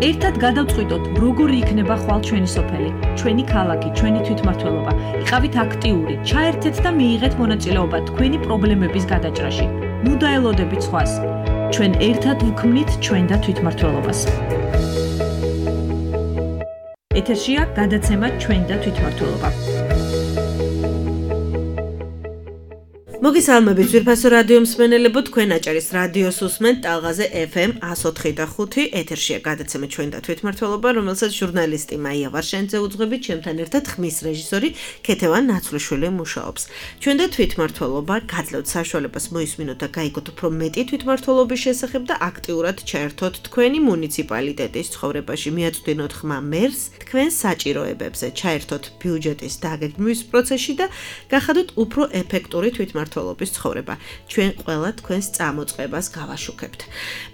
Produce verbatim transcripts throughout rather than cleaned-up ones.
ერთად გადავწყვიტოთ, როგორი იქნება ხვალ ჩვენი სოფელი, ჩვენი ქალაქი, ჩვენი თვითმმართველობა. იყავით აქტიური, ჩაერთეთ და მიიღეთ მონაწილეობა თქვენი პრობლემების გადაჭრაში. ნუ დაელოდებით სხვას. ჩვენ ერთად ვქმნით ჩვენ და თვითმმართველობას. ეთერშია გადაცემა ჩვენ და თვითმმართველობა. მოგესალმებით ძვირფასო რადიო მსმენელებო, თქვენ აჭარის რადიოს უსმენთ ტალღაზე ეფ ემ εκατო ოთხი და ხუთი. ეთერშია გადაცემა ჩვენ და თვითმმართველობა, რომელსაც ჟურნალისტი მაია ვარშენიძე უძღვებით, ჩემთან ერთად ხმის რეჟისორი ქეთევან ნაცვლიშვილი მუშაობს. ჩვენ და თვითმმართველობა გადლევთ საშუალებას მოისმინოთ და გაიგოთ უფრო მეტი თვითმმართველობის შესახებ და აქტიურად ჩაერთოთ თქვენი მუნიციპალიტეტის ცხოვრებაში, მიაწვდინოთ ხმა მერს თქვენს საჭიროებებზე, ჩაერთოთ ბიუჯეტის დაგეგმვის პროცესში და გახადოთ უფრო ეფექტური თვითმმართველობა. ცხოვრება. ჩვენ ყველა თქვენს წამოწყებას გავაშუქებთ.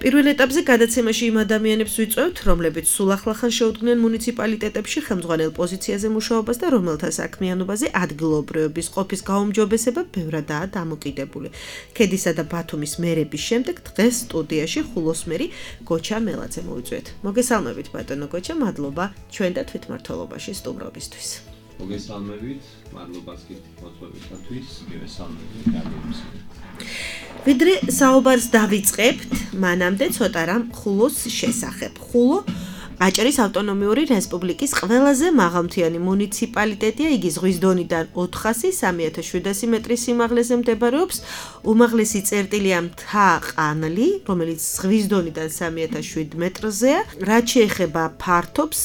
პირველ ეტაპზე გადაცემაში იმ ადამიანებს ვიწვევთ, რომლებიც სულ ახლახან შეუდგნენ მუნიციპალიტეტებში ხელმძღვანელ პოზიციაზე მუშაობას და რომელთა საქმიანობაზე ადგილობრივების ყოფის გაუმჯობესება ბევრადაა დამოკიდებული. ქედისა და ბათუმის მერების შემდეგ დღეს სტუდიაში ხულოსმერი გოჩა მელაძე მოვიწვიეთ. მოგესალმებით ბატონო გოჩა, მადლობა ჩვენ და თვითმმართველობაში სტუმრობისთვის. მოგესალმებით, მადლობას გიხდით მოწვევისათვის, მივესალმებით რადიოს. ვიდრე საუბარს დავიწყებთ, მანამდე ცოტა რამ ხულოს შესახებ. ხულო აჭარის ავტონომიური რესპუბლიკის ყველაზე მაღალმთიანი მუნიციპალიტეტია, იგი ზღვის დონიდან ოთხასი სამი ათას შვიდასი მეტრის სიმაღლეზე მდებარეობს. უმაღლესი წერტილია მთა ყანლი, რომელიც ზღვის დონიდან სამი ათას შვიდ მეტრზეა. რაც შეეხება ფართობს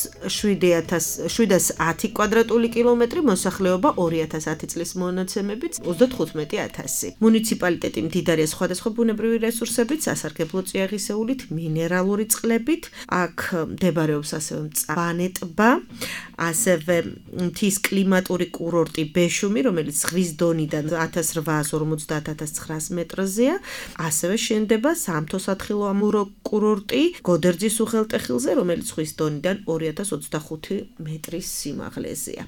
შვიდას ათი კვადრატული კილომეტრი, მოსახლეობა ორი ათას ათი წლის მონაცემებით ოცდათხუთმეტი ათასი. მუნიციპალიტეტი მდიდარია სხვადასხვა ბუნებრივი რესურსებით, სასარგებლო წიაღისეულით, მინერალური წყლებით. აქ მდებარეობს ასევე მწვანე ტბა, ასევე მთის კლიმატური კურორტი ბეშუმი, რომელიც ზღვის დონიდან ათას რვაას ორმოცდაათ ათას ცხრაას მეტრზეა. ასევე შენდება სამთო სათხილო ამურო კურორტი გოდერძის უღელტეხილზე, რომელიც ზღვის დონიდან ორი ათას ოცდახუთი მეტრის სიმაღლეზეა.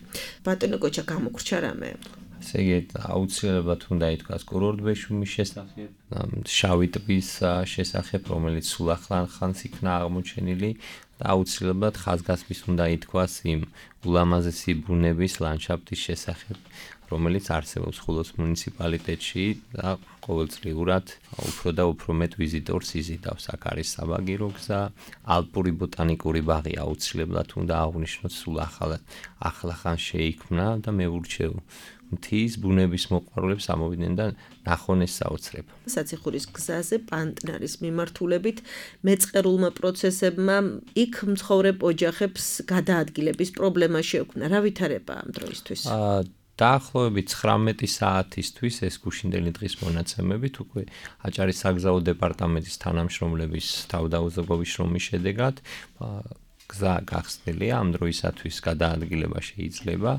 ბატონო გოჩა, გამოგრჩა რამე? ესე იგი, აუცილებლად უნდა ითქვას კურორტ ბეშუმის შესახებ, შავი ტბის შესახებ, რომელიც სულ ახლახანს იქნა აღმოჩენილი. და აუცილებლად ხაზგასმის უნდა ითქვას იმ ულამაზესი ბუნების ლანდშაფტის შესახებ, რომელიც არსებობს ხულოს მუნიციპალიტეტში და ყოველწლიურად უფრო და უფრო მეტ ვიზიტორს იზიდავს. აქ არის საბაგირო გზა, ალპური ბოტანიკური ბაღი აუცილებლად უნდა აღვნიშნოთ, სულ ახლახან შეიქმნა და მე ვურჩევ მთის ბუნების მოყვარულებს ამოვიდნენ და ნახონ ეს საოცრება. საციხურის გზაზე პანტნარის მიმართულებით მეწყერულმა პროცესებმა იქ მცხოვრებ ოჯახებს გადაადგილების პრობლემა შეექმნა. რა ვითარებაა ამ დროისთვის? დაახლოებით ცხრამეტი საათისთვის ეს გუშინდელი დღის მონაცემებით უკვე აჭარის საგზაო დეპარტამენტის თანამშრომლების თავდაუზოგობის შრომის შედეგად გზა გახსნილია, ამ დროისათვის გადაადგილება შეიძლება.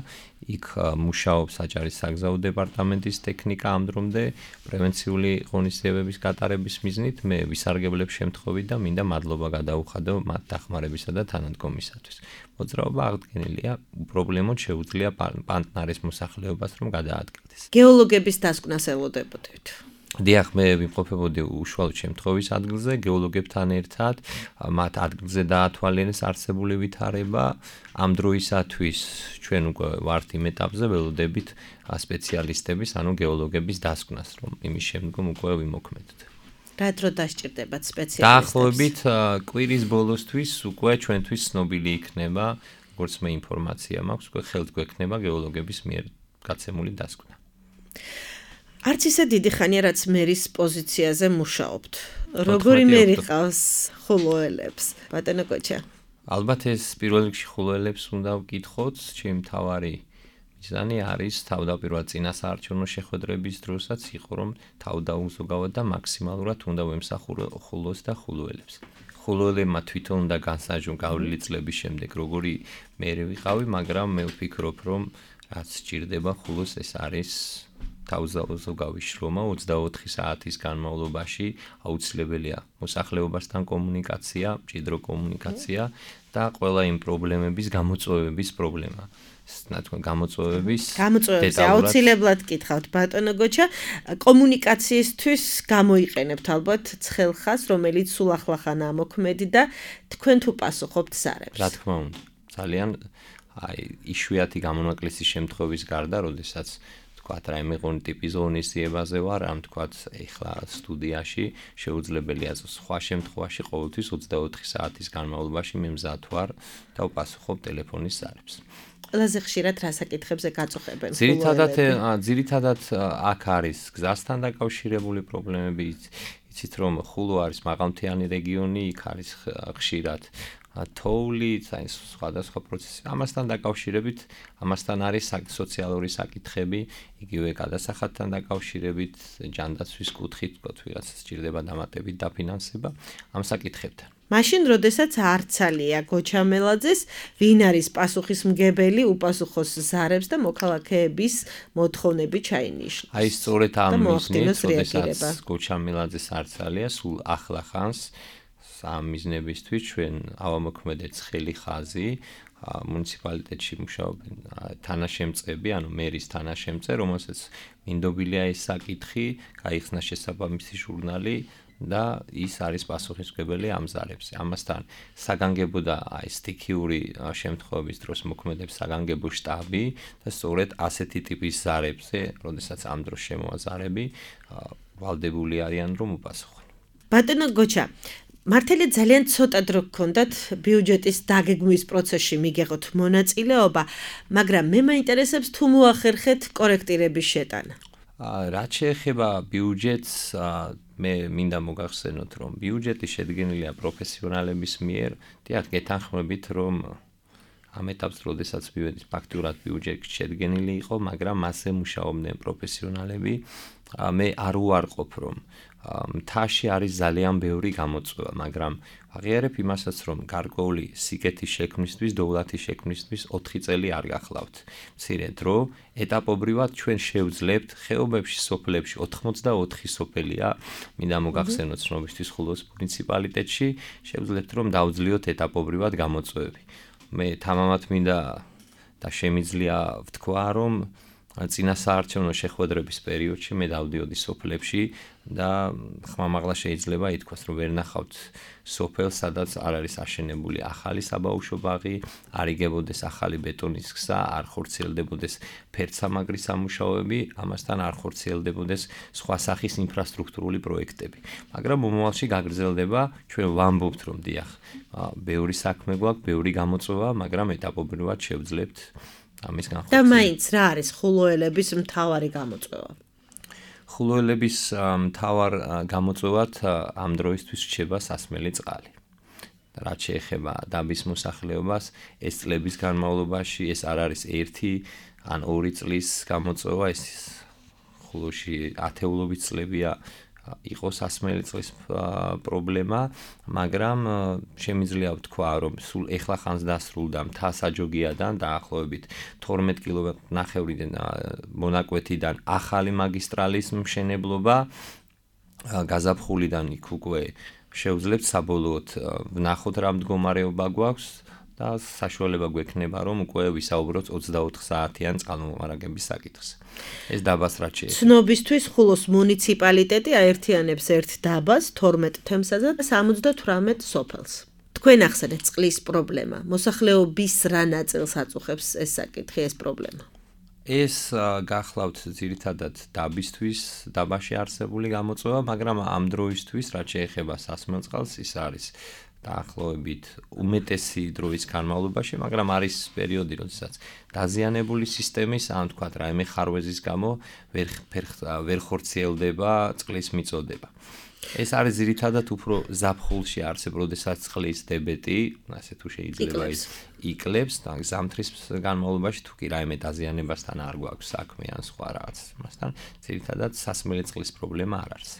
იქ მუშაობს აჭარის საგზაო დეპარტამენტის ტექნიკა ამ დრომდე პრევენციული ღონისძიებების გატარების მიზნით. მე ვისარგებლებ შემთხვევით და მინდა მადლობა გადაუხადო მათ დახმარებისა და თანადგომისათვის. მოძრაობა აღდგენილია, უპრობლემოდ შეუძლია პანტნარის მოსახლეობას რომ გადაადგილდეს. გეოლოგების დასკვნას ელოდებოდეთ. დიახ, მე ვიმყოფებოდი უშუალოდ შემთხვევის ადგილზე, გეოლოგებთან ერთად, მათ ადგილზე დაათვალიერეს არსებული ვითარება. ამ დროისათვის ჩვენ უკვე ვართ იმ ეტაპზე, ველოდებით სპეციალისტების, ანუ გეოლოგების დასკვნას, რომ იმის შემდგომ უკვე ვიმოქმედოთ. რა დრო დასჭირდებათ სპეციალისტებს? დაახლოებით კვირის ბოლოსთვის უკვე ჩვენთვის ცნობილი იქნება, როგორც მე ინფორმაცია მაქვს, უკვე ხელთ გვექნება გეოლოგების მიერ გაცემული დასკვნა. არც ისე დიდი ხანია, რაც მერის პოზიციაზე მუშაობთ. როგორი მერი ყავს ხულოელებს? ბატონო გოჩა. ალბათ ეს პირველ რიგში ხულოელებს უნდა ვკითხოთ, ჩემი მთავარი მიზანი არის თავდაპირველად წინასაარჩევნო შეხვედრების დროსაც იყო, რომ თავდაუზოგავად და მაქსიმალურად უნდა ვემსახურო ხულოს და ხულოელებს. ხულოელებმა თვითონ უნდა განსაჯონ გავლილი წლების შემდეგ, როგორი მერი ვიყავი, მაგრამ მე ვფიქრობ, რომ რაც სჭირდება ხულოს ეს არის თავზავზოგავი შრომა ოცდაოთხი საათის განმავლობაში აუცილებელია მოსახლეობასთან კომუნიკაცია, მჭიდრო კომუნიკაცია და ყველა იმ პრობლემების გამოწვევების პრობლემა. ნათქვამი გამოწვევების გამოწვევების აუცილებლად გითხავთ ბატონო გოჩა კომუნიკაციისთვის გამოიყენებთ ალბათ ცხელხას რომელიც სულ ახლახანაა მოქმედი და თქვენ თუ პასუხობთ ზარებს რა თქმა უნდა ძალიან აი იშვიათი გამონაკლისის შემთხვევის გარდა როდესაც თქვათ რაიმე ღონი ტიპის ღონისძიებაზე ვარ ამ თქვათ ეხლა სტუდიაში შეუძლებელია სხვა შემთხვევაში ყოველთვის ოცდაოთხი საათის განმავლობაში მე მზად ვარ და ვპასუხობ ტელეფონის ზარებს ყველაზე ხშირად რა საკითხებზე გაწუხებენ ძირითადად ძირითადად აქ არის გზასთან დაკავშირებული პრობლემები იცით რომ ხულო არის მაღალმთიანი რეგიონი იქ არის ხშირად თოვლი აი სხვადასხვა პროცესი ამასთან დაკავშირებით ამასთან არის სოციალური საკითხები იგივე გადასახადთან დაკავშირებით ჯანდაცვის კუთხით თქო ვიღაცა სჭირდება დამატებით დაფინანსება ამ საკითხებთან მაშინ, როდესაც არცალია გოჩამელაძეს, ვინ არის პასუხისმგებელი უპასუხოს ზარებს და მოქალაქეების მოთხოვნები ჩაინიშნოს. აი სწორედ ამ მიზნით, როდესაც გოჩამელაძეს არცალია, სულ ახლახანს ამ მიზნებისთვის ჩვენ ავამოქმედეთ ცხელი ხაზი მუნიციპალიტეტში მუშაობენ თანაშემწეები, ანუ მერის თანაშემწე, რომელსაც მინდობილია ეს საკითხი, გაიხსნა შესაბამისი ჟურნალი და ის არის პასუხისმგებელი ამ ზარებზე. ამასთან საგანგებო და აი სტიქიური შემთხვევების დროს მოქმედებს საგანგებო შტაბი და სწორედ ასეთი ტიპის ზარებზე, როდესაც ამ დროს შემოაზარები, ვალდებული არიან რომ უპასუხონ. ბატონო გოჩა, მართალია ძალიან ცოტა დრო გქონდათ ბიუჯეტის დაგეგმვის პროცესში მიგეღოთ მონაწილეობა, მაგრამ მე მაინტერესებს თუ მოახერხეთ კორექტირების შეტანა. რაც შეეხება ბიუჯეტს მე მინდა მოგახსენოთ რომ ბიუჯეტი შედგენილია პროფესიონალების მიერ, დიახ, გეთანხმებით რომ ამ ეტაპს როდესაც მივედით ფაქტურად ბიუჯეტი შედგენილი იყო, მაგრამ მასზე მუშაობდნენ პროფესიონალები. მე არ უარყოფ რომ მთაში არის ძალიან ბევრი გამოწვევა, მაგრამ აღიარებ იმასაც რომ გარკვეული სიკეთის შექმნისთვის, დოვლათის შექმნისთვის ოთხი წელი არ გახლავთ. მცირე დრო, ეტაპობრივად ჩვენ შევძლებთ ხეობებში, სოფლებში ოთხმოცდაოთხი სოფელია, მინდა მოგახსენოთ ცნობისთვის ხულოს მუნიციპალიტეტში, შევძლებთ რომ დავძლიოთ ეტაპობრივად გამოწვევები. მე თამამად მინდა და შემიძლია ვთქვა რომ წინასაარჩევნო შეხვედრების პერიოდში მე დავდიოდი სოფლებში და ხმამაღლა შეიძლება ითქვას რომ ვერ ნახავთ სოფელს, სადაც არ არის აშენებული ახალი საბაუშო ბაღი, არ იგებოდეს ახალი ბეტონის გზა, არ ხორციელდებოდეს ფერცამაგრის სამუშაოები, ამასთან არ ხორციელდებოდეს სხვა სახის ინფრასტრუქტურული პროექტები. მაგრამ მომავალში გაგრძელდება, ჩვენ ვამბობთ რომ დიახ, ბევრი საქმე გვაქვს, ბევრი გამოწვევა, მაგრამ ეტაპობრივად შევძლებთ ამის განხორციელება. და მაინც რა არის ხულოელების მთავარი გამოწვევა? ხულოელების მთავარ გამოწვევად ამ დროისთვის რჩება სასმელი წყალი. რაც შეეხება დაბის მოსახლეობას, ეს წლების განმავლობაში ეს არ არის ერთი ან ორი წლის გამოწვევა, ეს ხულოში ათეულობით წლებია იყო სასმელი წყლის პრობლემა, მაგრამ შემიძლია ვთქვა, რომ სულ ეხლა ხანს დასრულდა მთა საჯოგიადან დაახლოებით თორმეტ კილომეტრ ნახევრიდან მონაკვეთიდან ახალი მაგისტრალის მშენებლობა, გაზაფხულიდან იქ უკვე შევძლებთ საბოლოოდ ვნახოთ რა მდგომარეობა გვაქვს და საშუალება გვექნება რომ უკვე ვისაუბროთ ოცდაოთხ საათიან წყალმომარაგების საკითხზე. ეს დაბას რაც შეეხება. ცნობისთვის ხულოს მუნიციპალიტეტი აერთიანებს ერთ დაბას, თორმეტ თემსაზე და სამოცდათვრამეტ სოფელს. თქვენ ახსენეთ წყლის პრობლემა. მოსახლეობის რა ნაწილს აწუხებს ეს საკითხი, ეს პრობლემა? ეს გახლავთ ძირითადად დაბისთვის, დაბაში არსებული გამოწვევა, მაგრამ ამ დროისთვის რაც შეეხება სასმელ წყალს, ის არის დაახლოებით უმეტესი დროის განმავლობაში, მაგრამ არის პერიოდი, როდესაც დაზიანებული სისტემის, ან თქვათ რაიმე ხარვეზის გამო ვერ ვერ ხორციელდება წყლის მიწოდება. ეს არის ძირითადად უფრო ზაფხულში არსებ, როდესაც წყლის დებეტი, ასე თუ შეიძლება ის იკლებს და ზამთრის განმავლობაში თუ კი რაიმე დაზიანებასთან არ გვაქვს საქმე ან სხვა რაღაც მასთან, ძირითადად სასმელი წყლის პრობლემა არ არის.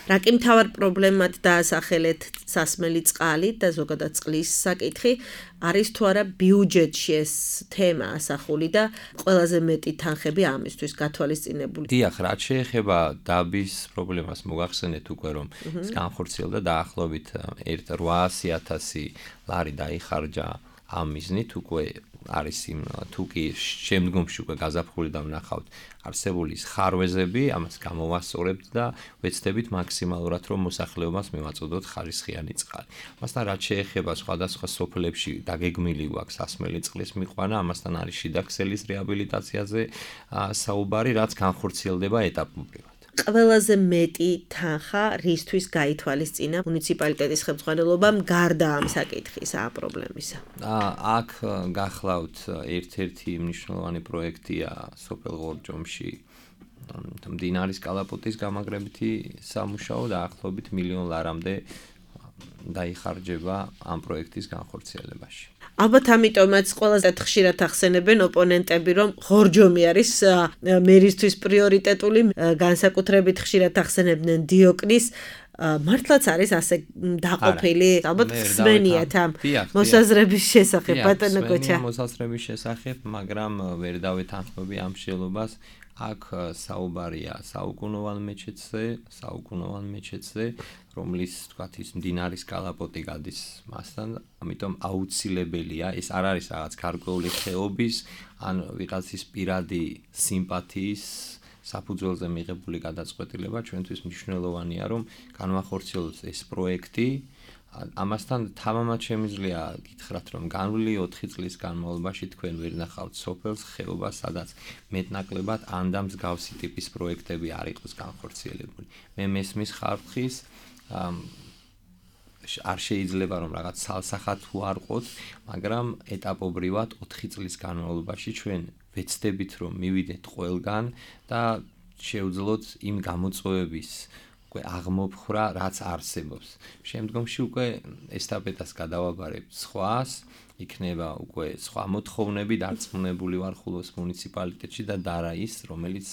რა კი მთავარ პრობლემად დაასახელეთ სასმელი წყალი და ზოგადად წყლის საკითხი არის თუ არა ბიუჯეტში ეს თემა ასახული და ყველაზე მეტი თანხები ამისთვის გათვალისწინებული. დიახ, რაც შეეხება დაბის პრობლემას მოგახსენეთ უკვე რომ ის განხორციელდა დაახლოებით რვაასი ათასი ლარი დაიხარჯა ამ მიზნით უკვე არის იმ თუ კი შემდგომში უკვე გაზაფხული და ვნახავთ არსებული ხარვეზები, ამას გამოვასწორებთ და ვეცდებით მაქსიმალურად რომ მოსახლეობას მივაწოდოთ ხარისხიანი წყალი. ამასთან რაც შეეხება სხვადასხვა სოფლებში დაგეგმილი გვაქვს სასმელი წყლის მიყვანა, ამასთან არის შიდა ქსელის რეაბილიტაციაზე საუბარი, რაც განხორციელდება ეტაპობრივად. ყველაზე მეტი თანხა რისთვის გაითვალისწინა მუნიციპალიტეტის ხელმძღვანელობამ გარდა ამ საკითხისა, ამ პრობლემისა? აქ გახლავთ ერთ-ერთი მნიშვნელოვანი პროექტია სოფელ ღორჯომში მდინარის კალაპოტის გამაგრებითი სამუშაო დაახლოებით მილიონ ლარამდე დაიხარჯება ამ პროექტის განხორციელებაში. ალბათ ამიტომაც ყველაზე ხშირად ახსენებენ ოპონენტები, რომ ღორჯომი არის მერისთვის პრიორიტეტული, განსაკუთრებით ხშირად ახსენებდნენ დიოკნის, მართლაც არის ასე დაყოფილი, ალბათ ხსმენიათ ამ მოსაზრების შესახებ, ბატონო გოჩა. მოსაზრების შესახებ, მაგრამ ვერ დავეთანხმები ამ შეელობას. აქ საუბარია საუკუნოვან მეჩეთზე, საუკუნოვან მეჩეთზე, რომლის თქვათ ის მდინარის კალაპოტი გადის მასთან, ამიტომ აუცილებელია, ეს არ არის რაღაც გარკვეული ხეობის ან ვიღაცის პირადი სიმპათიის საფუძველზე მიღებული გადაწყვეტილება, ჩვენთვის მნიშვნელოვანია, რომ განვახორციელოთ ეს პროექტი. ამასთან თამამად შემიძლია გითხრათ, რომ განვლილი ოთხი წლის განმავლობაში თქვენ ვერ ნახავთ სოფელს, ხეობას, სადაც მეტნაკლებად ან და მსგავსი ტიპის პროექტები არ იყოს განხორციელებული. მე მესმის ხალხის არ შეიძლება რომ რაღაც სალსახად თუ არ ყოთ, მაგრამ ეტაპობრივად ოთხი წლის განმავლობაში ჩვენ ვეცდებით რომ მივიდეთ ყველგან და შევძლოთ იმ გამოწვევების აღმოფხრა, რაც არსებობს. შემდგომში უკვე ესტაფეტას გადავაბარებთ სხვას, იქნება უკვე სხვა მოთხოვნები დარწმუნებული ვარ ხულოს მუნიციპალიტეტში და დარა ის, რომელიც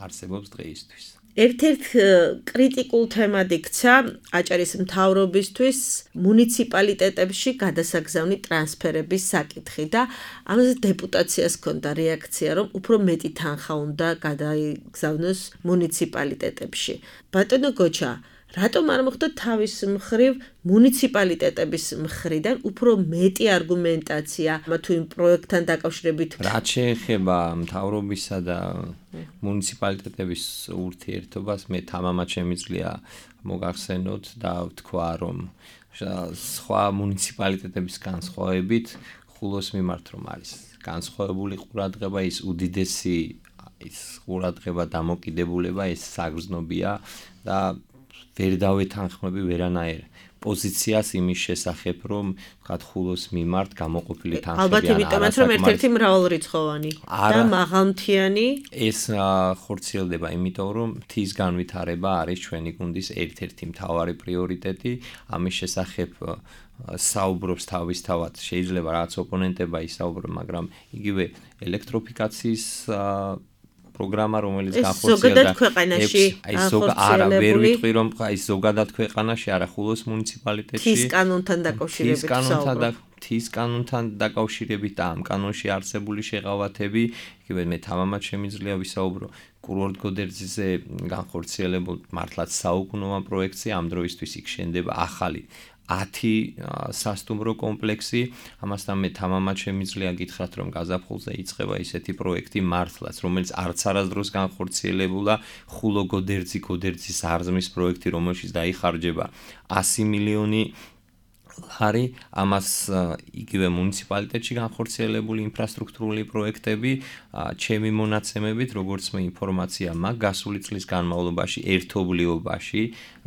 არსებობს დღეისთვის. ერთ-ერთ კრიტიკულ თემად იქცა აჭარის მთავრობისთვის მუნიციპალიტეტებში გადასაგზავნი ტრანსფერების საკითხი და ამაზე დეპუტაციას ჰქონდა რეაქცია, რომ უფრო მეტი თანხა უნდა გადაიგზავნოს მუნიციპალიტეტებში. ბატონო გოჩა, რატომ არ მოხდა თავის მხრივ მუნიციპალიტეტების მხრიდან უფრო მეტი არგუმენტაცია თუ იმ პროექტთან დაკავშირებით? რაც შეეხება მთავრობისა და მუნიციპალიტეტების ურთიერთობას, მე თამამად შემიძლია მოგახსენოთ და ვთქვა, რომ სხვა მუნიციპალიტეტების განსხვავებით ხულოს მიმართ რომ არის განსხვავებული ყურადღება, ის უდიდესი ის ყურადღება დამოკიდებულება, ეს საგრძნობია და ვერ დავეთანხმები ვერანაირ პოზიციას იმის შესახებ, რომ ვთქვათ ხულოს მიმართ გამოყოფილი თანხები ალბათ იმიტომაც რომ ერთ-ერთი მრავალრიცხოვანი და მაღალმთიანი ეს ხორციელდება, იმიტომ რომ მთის განვითარება არის ჩვენი გუნდის ერთ-ერთი მთავარი პრიორიტეტი. ამის შესახებ საუბრობს თავისთავად, შეიძლება რაღაც ოპონენტება ისაუბრონ, მაგრამ იგივე ელექტროფიკაციის პროგრამა, რომელიც განხორციელდა ქვეყანაში, აი არა ვერ ვიტყვი რომ აი ზოგადად ქვეყანაში, არა ხულოს მუნიციპალიტეტში თის კანონთან დაკავშირებით საუბრობ. თის კანონთან დაკავშირებით და ამ კანონში არსებული შეღავათები, იგივე მე თამამად შემიძლია ვისაუბრო კურორტ გოდერძიზე განხორციელებულ მართლაც საუკუნოვან პროექტზე, ამ დროისთვის იქ შენდება ახალი ათი სასტუმრო კომპლექსი. ამასთან მე თამამად შემიძლია გითხრათ, რომ გაზაფხულზე იწყება ისეთი პროექტი მართლაც, რომელიც არც არასდროს განხორციელებულა, ხულო გოდერძი გოდერძის აზმის პროექტი, რომელშიც დაიხარჯება ასი მილიონი ლარი. ამას იგივე მუნიციპალიტეტში განხორციელებული ინფრასტრუქტურული პროექტები, ჩემი მონაცემებით, როგორც მე ინფორმაცია მაქვს, გასული წლის განმავლობაში ერთობლიობაში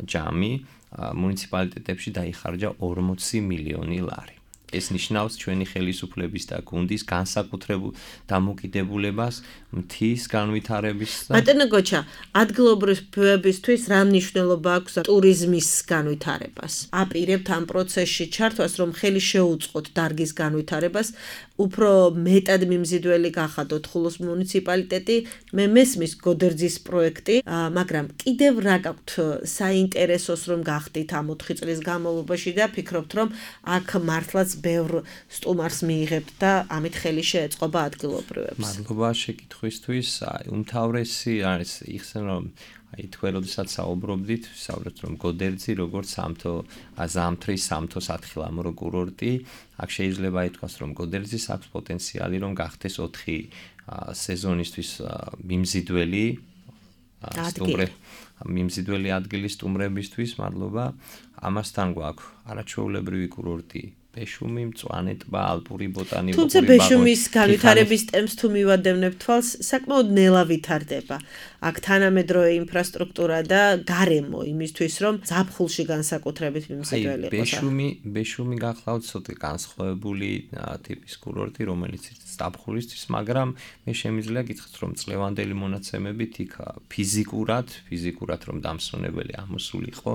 ჯამი მუნიციპალიტეტებში დაიხარჯა ორმოცი მილიონი ლარი. ეს ნიშნავს ჩვენი ხელისუფლების და გუნდის განსაკუთრებულ დამოკიდებულებას მთის განვითარების და ბატონო გოჩა, ადგილობრივებისთვის რა მნიშვნელობა აქვს ტურიზმის განვითარებას? აპირებთ ამ პროცესში ჩართვას, რომ ხელი შეუწყოთ დარგის განვითარებას, უფრო მეტად მიმზიდველი გახადოთ ხულოს მუნიციპალიტეტი, მე მესმის გოდერძის პროექტი, მაგრამ კიდევ რა გაქვთ საინტერესოს რომ გახდით ამ ოთხი წლის განმავლობაში და ფიქრობთ რომ აქ მართლაც ბევრ სტუმარს მიიღებთ და ამით ხელი შეეწყობა ადგილობრივებს. მადლობა შეკითხვისთვის. აი უმთავრესი არის იხსენ რომ აი თქვენ როდესაც საუბრობდით, საუბრობთ რომ გოდერძი როგორც სამთო ზამთრის სამთო სათხილამურო კურორტი, აქ შეიძლება ითქვას რომ გოდერძის აქვს პოტენციალი რომ გახდეს ოთხი სეზონისთვის მიმზიდველი სტუმრები მიმზიდველი ადგილი სტუმრებისთვის, მადლობა. ამასთან გვაქვს არაჩვეულებრივი კურორტი ბეშუმი, მწვანე ტბა, ალპური ბოტანიკური თუმცა ბეშუმის განვითარების ტემპს თუ მივადევნებთ თვალს, საკმაოდ ნელა ვითარდება. აქ თანამედროვე ინფრასტრუქტურა და გარემო იმისთვის, რომ ზაფხულში განსაკუთრებით მიმზიდველი იყოს. ბეშუმი, ბეშუმი გახლავთ ცოტა განსხვავებული ტიპის კურორტი, რომელიც ზაფხულისთვის, მაგრამ მე შემიძლია გითხრათ, რომ წლევანდელი მონაცემებით იქ ფიზიკურად, ფიზიკურად რომ დამსვენებელი ამოსული იყო,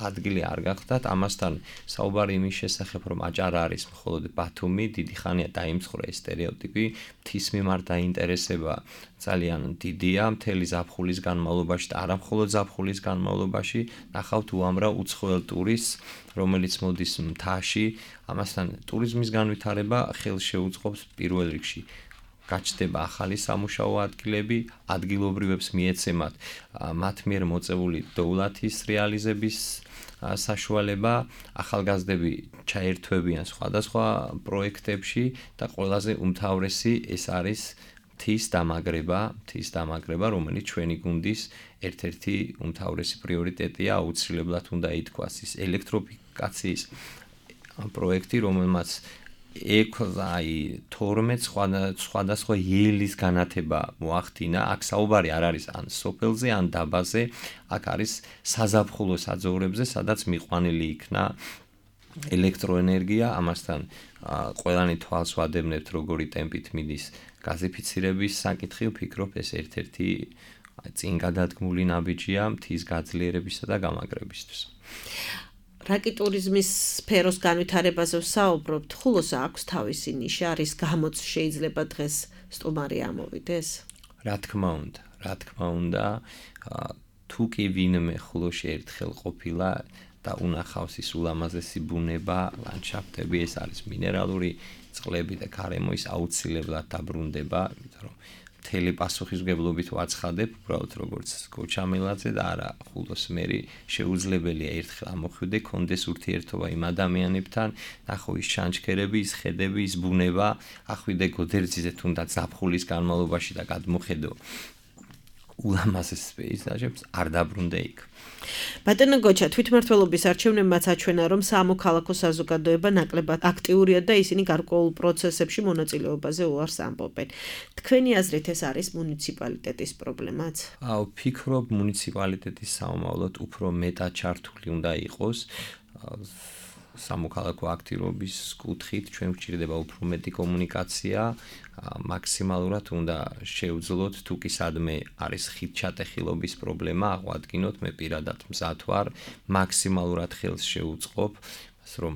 ადგილი არ გახდათ, ამასთან საუბარი იმის შესახებ, რომ აჭარა არის მხოლოდ ბათუმი, დიდი ხანია დაიმსხვრა ეს სტერეოტიპი, მთის მიმართ დაინტერესება ძალიან დიდია, მთელი ზაფხულის განმავლობაში და არა მხოლოდ ზაფხულის განმავლობაში, ნახავთ უამრავ უცხოელ ტურისტს, რომელიც მოდის მთაში, ამასთან ტურიზმის განვითარება ხელს შეუწყობს პირველ რიგში. გაჩნდება ახალი სამუშაო ადგილები, ადგილობრივებს მიეცემათ მათ მიერ მოწეული დოვლათის რეალიზების საშუალება, ახალგაზრდები ჩაერთვებიან სხვადასხვა პროექტებში და ყველაზე უმთავრესი ეს არის მთის დამაგრება, მთის დამაგრება, რომელიც ჩვენი გუნდის ერთ-ერთი უმთავრესი პრიორიტეტია, აუცილებლად უნდა ითქვას ის ელექტროფიკაციის პროექტი, რომელმაც ექვსი თორმეტ სხვადასხვა იელის განათება მოახდინა. აქ საუბარი არ არის ან სოფელზე, ან დაბაზე, აქ არის საზაფხულო საძოვრებზე, სადაც მიყვანილი იქნა ელექტროენერგია, ამასთან ყველანი თვალს ვადევნებთ, როგორი ტემპით მიდის გაზიფიცირების საკითხი, ვფიქრობ ეს ერთ-ერთი წინ გადადგმული ნაბიჯია მთის გაძლიერებისა და გამაგრებისთვის. რაკი ტურიზმის სფეროს განვითარებაზე ვსაუბრობთ, ხულოს აქვს თავისი ნიშა, რის გამოც შეიძლება დღეს სტუმარი ამოვიდეს? რა თქმა უნდა, რა თქმა უნდა, თუ კი ვინმე ხულოში ერთხელ ყოფილა და უნახავს ის ულამაზესი ბუნება, ლანდშაფტები, ეს არის მინერალური წყლები და გარემო, ის აუცილებლად დაბრუნდება, იმიტომ რომ მთელი პასუხისმგებლობით ვაცხადებ, უბრალოდ როგორც გოჩამელაძე და არა ხულოს მერი, შეუძლებელია ერთხელ ამოხვიდე, კონდეს ურთიერთობა იმ ადამიანებთან, ნახო ის ჩანჩქერები, ის ხედები, ის ბუნება, ახვიდე გოდერძიზე თუნდაც ზაფხულის განმავლობაში და გადმოხედო ულამაზეს პეიზაჟებს, არ დაბრუნდე იქ. ბატონო გოჩა, თვითმმართველობის არჩევნებმაც აჩვენა, რომ სამოქალაქო საზოგადოება ნაკლებად აქტიურია და ისინი გარკვეულ პროცესებში მონაწილეობაზე უარს ამბობენ. თქვენი აზრით ეს არის მუნიციპალიტეტის პრობლემაც? აუ, ვფიქრობ, მუნიციპალიტეტის საომავლოდ უფრო მეტად ჩართული უნდა იყოს. სამოქალაქო აქტივობის კუთხით ჩვენ გვჭირდება უფრო მეტი კომუნიკაცია, მაქსიმალურად უნდა შევძლოთ, თუ კი სადმე არის ხიდჩატეხილობის პრობლემა, აღვადგინოთ, მე პირადად მზად ვარ, მაქსიმალურად ხელს შევუწყობ, რომ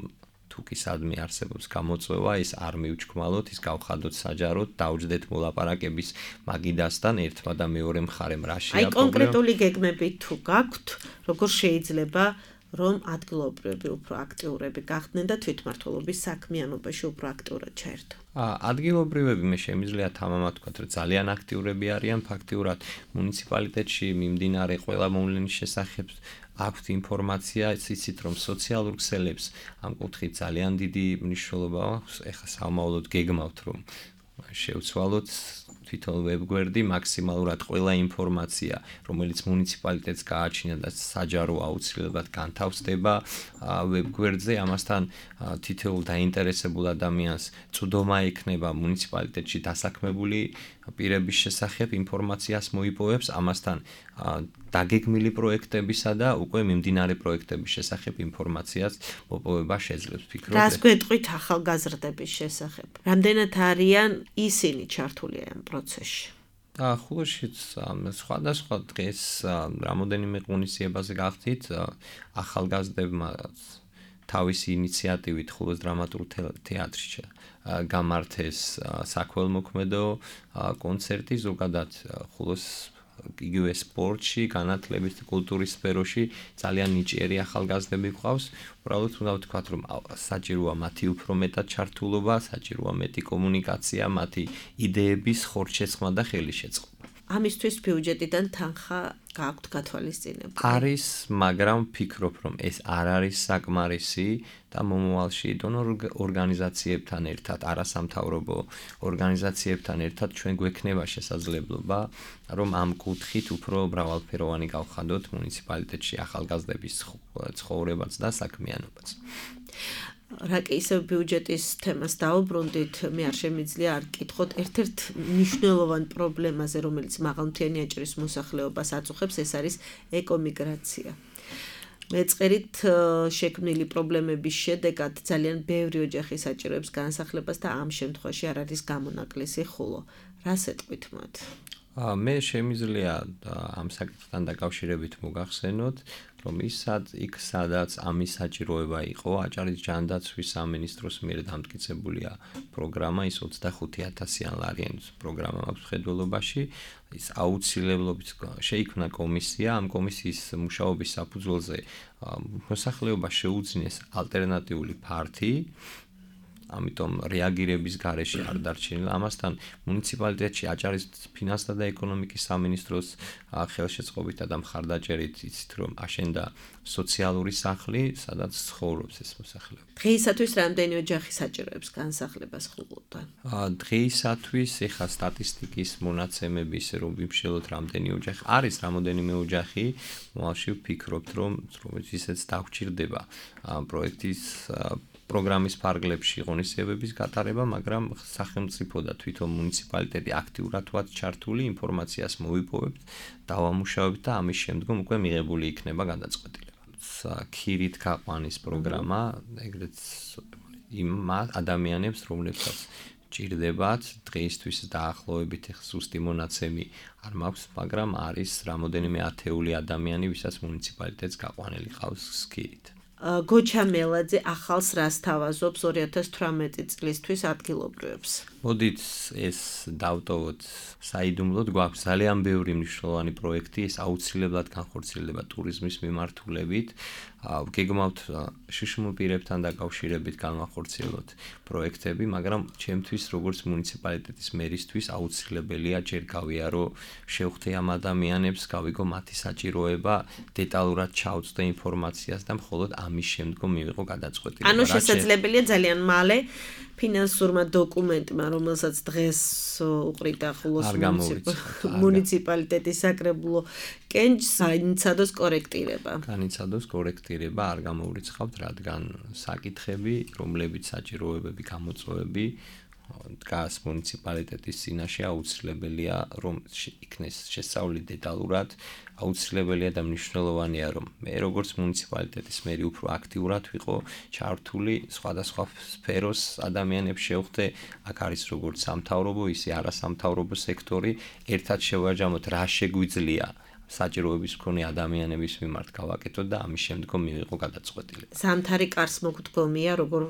თუ კი სადმე არსებობს გამოწვევა, ის არ მივჩქმალოთ, ის გავხადოთ საჯაროდ, დავჯდეთ მოლაპარაკების მაგიდასთან, ერთმა და მეორე მხარემ რა შეა პრობლემა. აი კონკრეტული გეგმები თუ გაქვთ, როგორ შეიძლება რომ ადგილობრივები უფრო აქტიურები გახდნენ და თვითმმართველობის საქმიანობაში უფრო აქტიურად ჩაერთონ. ადგილობრივები მე შემიძლია თამამად ვთქვათ, რომ ძალიან აქტიურები არიან, ფაქტიურად მუნიციპალიტეტში მიმდინარე ყველა მოვლენის შესახებ აქვთ ინფორმაცია, იცით რომ სოციალურ ქსელებს ამ კუთხით ძალიან დიდი მნიშვნელობა აქვს, ეხლა საომავლოდ გეგმავთ რომ შევცვალოთ თვითონ ვებგვერდი, მაქსიმალურად ყველა ინფორმაცია, რომელიც მუნიციპალიტეტს გააჩინა და საჯარო აუცილებლად განთავსდება ვებგვერდზე, ამასთან თითოეულ დაინტერესებულ ადამიანს წვდომა ექნება მუნიციპალიტეტში დასაქმებული პირების შესახებ ინფორმაციას მოიპოვებს, ამასთან დაგეგმილი პროექტებისა და უკვე მიმდინარე პროექტების შესახებ ინფორმაციას მოპოვება შეძლებს ფიქრობ. რას გვეტყვით ახალგაზრდების შესახებ? რამდენად არიან ისინი ჩართული ამ პროცესში? ხულოშიც სხვადასხვა დღეს რამოდენიმე ღონისძიებაზე გახდით ახალგაზრდებმა თავისი ინიციატივით ხულოს დრამატულ თეატრში გამართეს საქველმოქმედო კონცერტი ზოგადად ხულოს იგივე სპორტში, განათლების და კულტურის სფეროში ძალიან ნიჭიერი ახალგაზრდები გვყავს. უბრალოდ უნდა ვთქვათ, რომ საჭიროა მათი უფრო მეტად ჩართულობა, საჭიროა მეტი კომუნიკაცია, მათი იდეების ხორცშესხმა და ხელისშეწყობა. ამისთვის ბიუჯეტიდან თანხა გააქვთ გათვალისწინებული? არის, მაგრამ ვფიქრობ, რომ ეს არ არის საკმარისი და მომავალში დონორ ორგანიზაციებთან ერთად, არასამთავრობო ორგანიზაციებთან ერთად ჩვენ გვექნება შესაძლებლობა, რომ ამ კუთხით უფრო მრავალფეროვანი გავხადოთ მუნიციპალიტეტში ახალგაზრდების ცხოვრებაც და საქმიანობაც. რაკი ისევ ბიუჯეტის თემას დაუბრუნდით, მე არ შემიძლია არ გკითხოთ ერთ-ერთ მნიშვნელოვან პრობლემაზე, რომელიც მაღალმთიანი აჭარის მოსახლეობას აწუხებს, ეს არის ეკომიგრაცია. მეწყერით შექმნილი პრობლემების შედეგად ძალიან ბევრი ოჯახი საჭიროებს განსახლებას და ამ შემთხვევაში არ არის გამონაკლისი ხულო. რას ეტყვით მათ? მე შემიძლია ამ საკითხთან დაკავშირებით მოგახსენოთ, რომ ისად იქ სადაც ამის საჭიროება იყო, აჭარის ჯანდაცვის სამინისტროს მიერ დამტკიცებულია პროგრამა, ის ოცდახუთი ათასიან ლარიანის პროგრამა აქვს მხედველობაში, ის აუცილებლობით შეიქმნა კომისია, ამ კომისიის მუშაობის საფუძველზე მოსახლეობა შეუძინეს ალტერნატიული ფართი, ამიტომ რეაგირების გარეშე არ დარჩენილა. ამასთან მუნიციპალიტეტში აჭარის ფინანსთა და ეკონომიკის სამინისტროს ხელშეწყობით და მხარდაჭერით იცით რომ აშენდა სოციალური სახლი, სადაც ცხოვრობს ეს მოსახლეობა. დღეისათვის რამდენი ოჯახი საჭიროებს განსახლებას ხულოდან? დღეისათვის ეხა სტატისტიკის მონაცემები ისე რომ ვიმშელოთ რამდენი ოჯახი არის, რამოდენიმე ოჯახი, მომავალში ვფიქრობთ რომ ისეც დაგვჭირდება პროექტის პროგრამის ფარგლებში ღონისძიებების გატარება, მაგრამ სახელმწიფო და თვითონ მუნიციპალიტეტი აქტიურად ვართ ჩართული, ინფორმაციას მოვიპოვებთ, დავამუშავებთ და ამის შემდგომ უკვე მიღებული იქნება გადაწყვეტილება. ქირით გაყვანის პროგრამა, ეგრეთ იმ ადამიანებს, რომლებსაც ჭირდებათ, დღეისთვის დაახლოებით ზუსტი მონაცემი არ მაქვს, მაგრამ არის რამოდენიმე ათეული ადამიანი, ვისაც მუნიციპალიტეტს გაყვანილი ყავს ქირით. გოჩა მელაძე ახალს რას თავაზობს ორი ათას თვრამეტი წლისთვის ადგილობრივებს? მოდით ეს დავტოვოთ საიდუმლოდ, გვაქვს ძალიან ბევრი მნიშვნელოვანი პროექტი, ეს აუცილებლად განხორციელდება ტურიზმის მიმართულებით. გეგმავთ შიშმულ პირებთან დაკავშირებით განვახორციელოთ პროექტები, მაგრამ ჩემთვის როგორც მუნიციპალიტეტის მერისთვის აუცილებელია ჯერ გავიარო შევხვდე ამ ადამიანებს, გავიგო მათი საჭიროება, დეტალურად ჩავწვდე ინფორმაციას და მხოლოდ ამის შემდგომ მივიღო გადაწყვეტილება. ანუ შესაძლებელია ძალიან მალე ფინანსურმა დოკუმენტმა, რომელსაც დღეს უყრიდა ხულოს მუნიციპალიტეტის საკრებულო კენჭს, განიცადოს კორექტირება. განიცადოს კორექტირება არ გამოურიცხავთ, რადგან საკითხები, რომლებიც საჭიროებები, გამოწვევები დგას მუნიციპალიტეტის წინაშე, აუცილებელია რომ იქნეს შესწავლილი დეტალურად, აუცილებელია და მნიშვნელოვანია რომ მე როგორც მუნიციპალიტეტის მერი უფრო აქტიურად ვიყო ჩართული სხვადასხვა სფეროს ადამიანებს შევხვდე, აქ არის როგორც სამთავრობო, ისე არასამთავრობო სექტორი, ერთად შევაჯამოთ რა შეგვიძლია საჭიროების მქონე ადამიანების მიმართ გავაკეთოთ და ამის შემდგომ მივიღო გადაწყვეტილება. ზამთარი კარს მოგდგომია, როგორ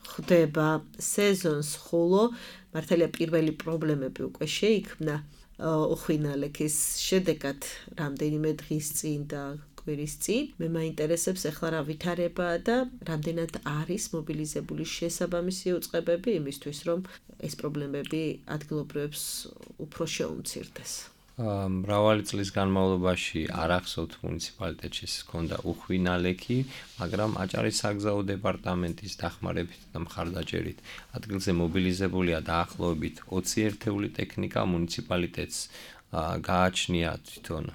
ხდება სეზონს ხულო, მართალია პირველი პრობლემები უკვე შეიქმნა უხვინალექის შედეგად რამდენიმე დღის წინ და კვირის წინ. მე მაინტერესებს ახლა რა ვითარებაა და რამდენად არის მობილიზებული შესაბამისი უწყებები იმისთვის, რომ ეს პრობლემები ადგილობრივებს უფრო შეუმცირდეს. მრავალი წლის განმავლობაში არ ახსოვთ მუნიციპალიტეტში ჰქონდა უხვინალექი, მაგრამ აჭარის საგზაო დეპარტამენტის დახმარებით და მხარდაჭერით ადგილზე მობილიზებულია დაახლოებით ოცი ერთეული ტექნიკა, მუნიციპალიტეტს გააჩნია თვითონ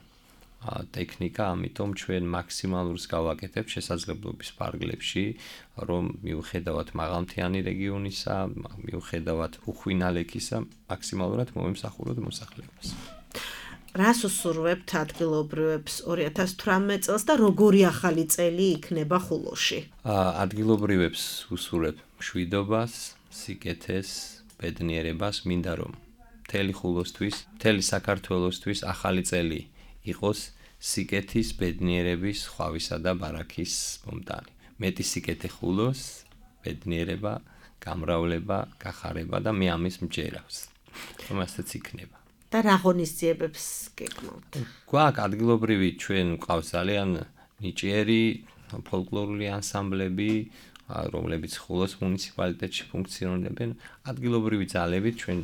ტექნიკა, ამიტომ ჩვენ მაქსიმალურს გავაკეთებთ შესაძლებლობის ფარგლებში, რომ მიუხედავად მაღალმთიანი რეგიონისა, მიუხედავად უხვინალექისა, მაქსიმალურად მომემსახუროთ მოსახლეობას. რას უსურვებთ ადგილობრივებს ორი ათას თვრამეტ წელს და როგორი ახალი წელი იქნება ხულოში? ადგილობრივებს უსურვებ მშვიდობას, სიკეთეს, ბედნიერებას, მინდა რომ მთელი ხულოსთვის, მთელი საქართველოსთვის ახალი წელი იყოს სიკეთის, ბედნიერების, ხვავისა და ბარაქის მომტანი. მეტი სიკეთე ხულოს, ბედნიერება, გამრავლება, გახარება და მე ამის მჯერავს. რომ ასეც იქნება. და რა ღონისძიებებს გეკმავთ? გვაქვს ადგილობრივი ჩვენ გვყავს ძალიან ნიჭიერი ფოლკლორული ანსამბლები, რომლებიც ხულოს მუნიციპალიტეტში ფუნქციონირებენ. ადგილობრივი ძალებით ჩვენ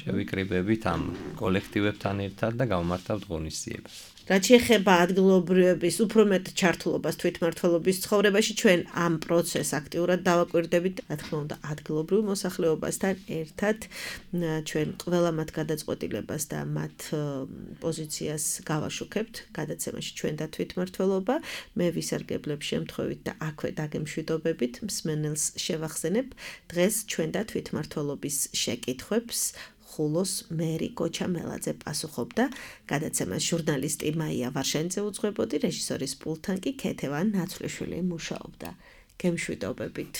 შევიკრიბებით ამ კოლექტივებთან ერთად და გავმართავთ ღონისძიებას. რაც შეეხება ადგილობრივების უფრო მეტ ჩართულობას თვითმმართველობის ცხოვრებაში, ჩვენ ამ პროცესს აქტიურად დავაკვირდებით, რა თქმა უნდა, ადგილობრივ მოსახლეობასთან ერთად ჩვენ ყველა მათ გადაწყვეტილებას და მათ პოზიციას გავაშუქებთ გადაცემაში ჩვენ და თვითმმართველობა. მე ვისარგებლებ შემთხვევით და აქვე დაგემშვიდობებით, მსმენელს შევახსენებ დღეს ჩვენ და თვითმმართველობის შეკითხვებს ხულოს მერი გოჩა მელაძე პასუხობდა გადაცემას ჟურნალისტი მაია ვარშანიძე უძღვებოდი, რეჟისორის პულტთან კი ქეთევან ნაცვლიშვილი მუშაობდა. გემშვიდობებით.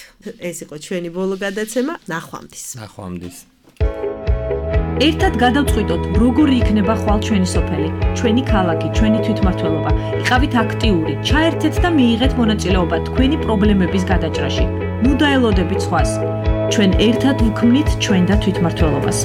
ეს იყო ჩვენი ბოლო გადაცემა. ნახვამდის. ნახვამდის. ერთად გადავწყვიტოთ, როგორი იქნება ხვალ ჩვენი სოფელი, ჩვენი ქალაქი, ჩვენი თვითმმართველობა. იყავით აქტიური, ჩაერთეთ და მიიღეთ მონაწილეობა თქვენი პრობლემების გადაჭრაში. ნუ დაელოდებით სხვას. ჩვენ ერთად ვქმნით ჩვენ და თვითმმართველობას.